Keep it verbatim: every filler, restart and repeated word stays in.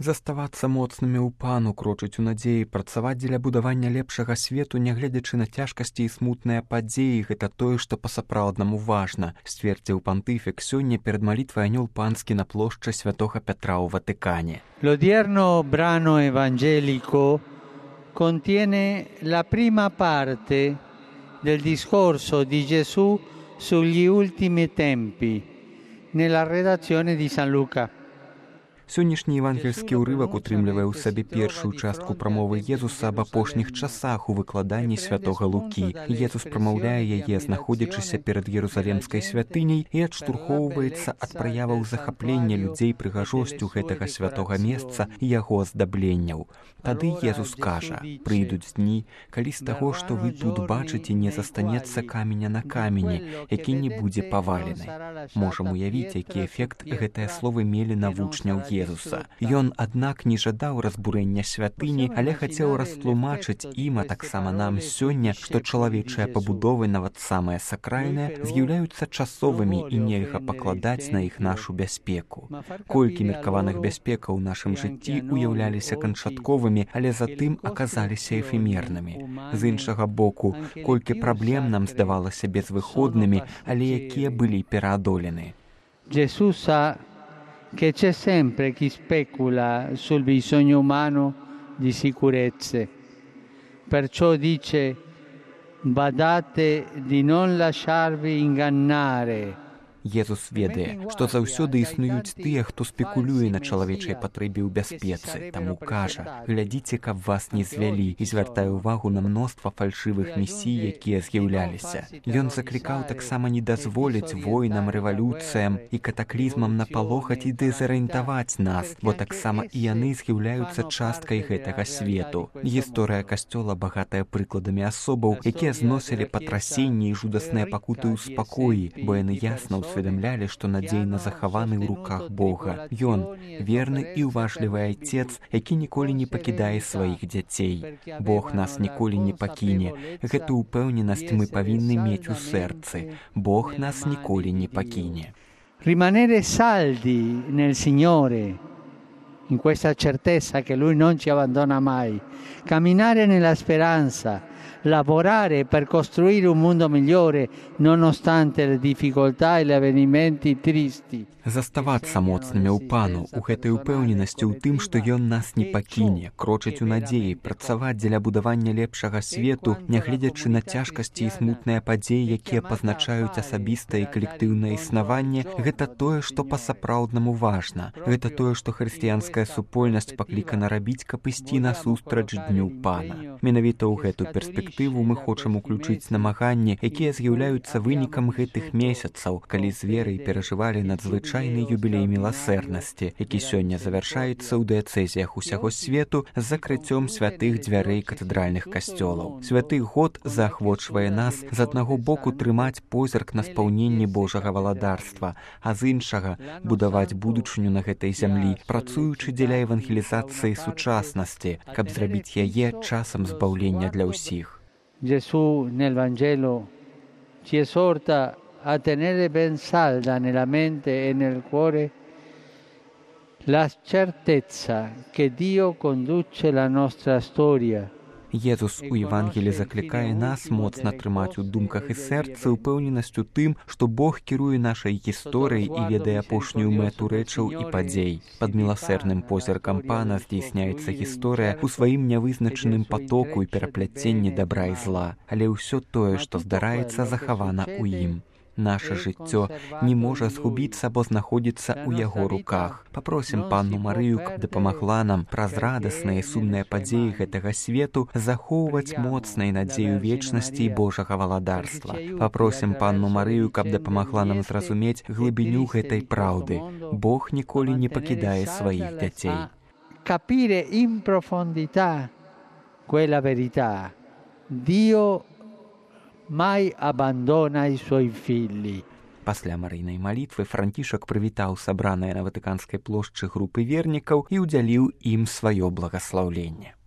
Заставацца моцнымі ў пану, крочыць у надзеі, працаваць дзеля будавання лепшага свету, нягледзячы на цяжкасці і смутныя падзеі, гэта тое, што па-сапраўднаму важна, сцвердзіў пантыфік сёння перад малітвай анёл панскі на плошчы святога Петра ў Ватыкане. L'odierno brano evangelico contiene la prima parte del discorso di Gesù sugli ultimi tempi nella redazione di San Luca. Сённяшні евангельскі ўрывак утрымлівае ў сабе першую частку прамовы Езуса аб апошніх часах у выкладанні святога Лукі. Езус прамаўляе яе, знаходзячыся перад Ерусалемскай святыняй, і адштурхоўваецца ад праяваў захаплення людзей прыгажосцю гэтага святога месца і яго аздабленняў. Тады Езус кажа: «Прыйдуць дні, калі з таго, што вы тут бачыце, не застанецца каменя на камені, які не будзе павалены». Можам уявіць, які эфект гэтыя словы мелі на вучняў Езуса. Ён, аднак, не жадаў разбурэння святыні, але хацеў растлумачыць ім, а таксама нам сёння, што чалавечыя пабудовы, нават самыя сакральныя, з'яўляюцца часовымі і нельга пакладаць на іх нашу бяспеку. Колькі меркаваных бяспекаў у нашым жыцці уяўляліся канчатковымі, але затым аказаліся эфемернымі. З іншага боку, колькі праблем нам здавалася безвыходнымі, але якія былі пераадолены. Gesù sa che c'è sempre chi specula sul bisogno umano di sicurezze. Perciò dice: badate di non lasciarvi ingannare. Езус ведае, што заўсёды існуюць тыя, хто спекулюе на чалавечай патрэбе ў бяспецы. Таму кажа: глядзіце, каб вас не звялі, і звяртае ўвагу на мноства фальшывых місій, якія з'яўляліся. Ён заклікаў таксама не дазволіць войнам, рэвалюцыям і катаклізмам напалохаць і дэзарыентаваць нас, бо таксама і яны з'яўляюцца часткай гэтага свету. Гісторыя касцёла багатая прыкладамі асобаў, якія зносілі патрасенні і жудасныя пакуты ў спакоі, бо яны ясна усведамлялі, што надзейна захаваны ў руках Бога. Ён верны і уважлівы айцец, які ніколі не пакідае сваіх дзяцей. Бог нас ніколі не пакіне. Гэту ўпэўненасць мы павінны мець у сэрцы. Бог нас ніколі не пакіне. Rimanere saldi nel Signore, in questa certezza che Lui non ci abbandona mai. Camminare nella speranza, lavorare per costruire un mondo migliore nonostante le difficoltà e gli avvenimenti tristi. Заставацца моцнымі ў пану, у гэтай упэўненасці ў тым, што ён нас не пакіне, крочыць у надзеі, працаваць дзеля будавання лепшага свету, нягледзячы на цяжкасці і смутныя падзеі, якія пазначаюць асабістае і калектыўнае існаванне, гэта тое, што па-сапраўднаму важна. Гэта тое, што хрысціянская супольнасць паклікана рабіць, каб ісці насустрач дню пана. Менавіта ў гэту перспектыву мы хочам уключыць намаганні, якія з'яўляюцца вынікам гэтых месяцаў, калі з верай перажывалі надзвычайны юбілей міласэрнасці, які сёння завяршаецца ў дыяцэзіях усяго свету з закрыццём святых дзвярэй катэдральных касцёлаў. Святы год заахвочвае нас з аднаго боку трымаць позірк на спаўненні Божага валадарства, а з іншага будаваць будучыню на гэтай зямлі, працуючы дзеля евангелізацыі сучаснасці, каб зрабіць яе часам збаўлення для ўсіх. Gesù nel Vangelo ci esorta a tenere ben salda nella mente e nel cuore la certezza che Dio conduce la nostra storia. Езус у Евангелі заклікае нас моцна трымаць у думках і сэрцы ўпэўненасць у тым, што Бог кіруе нашай гісторыяй і ведае апошнюю мэту рэчаў і падзей. Пад міласэрным позіркам пана здзейсняецца гісторыя ў сваім нявызначаным патоку і перапляценні дабра і зла, але ўсё тое, што здараецца, захавана ў ім. Наша жыццё не можа згубіцца, бо знаходзіцца ў яго руках. Папросім панну Марыю, каб дапамагла нам праз радасныя і сумныя падзеі гэтага свету захоўваць моцнай надзею вечнасці і Божага валадарства. Папросім панну Марыю, каб дапамагла нам зразумець глыбіню гэтай праўды. Бог ніколі не пакідае сваіх дзяцей. Capire in profondità quella verità. Dio mai abbandona i suoi figli. Пасля марыйнай малітвы Францішак прывітаў сабраныя на Ватыканскай плошчы групы вернікаў і ўдзяліў ім сваё благаслаўленне.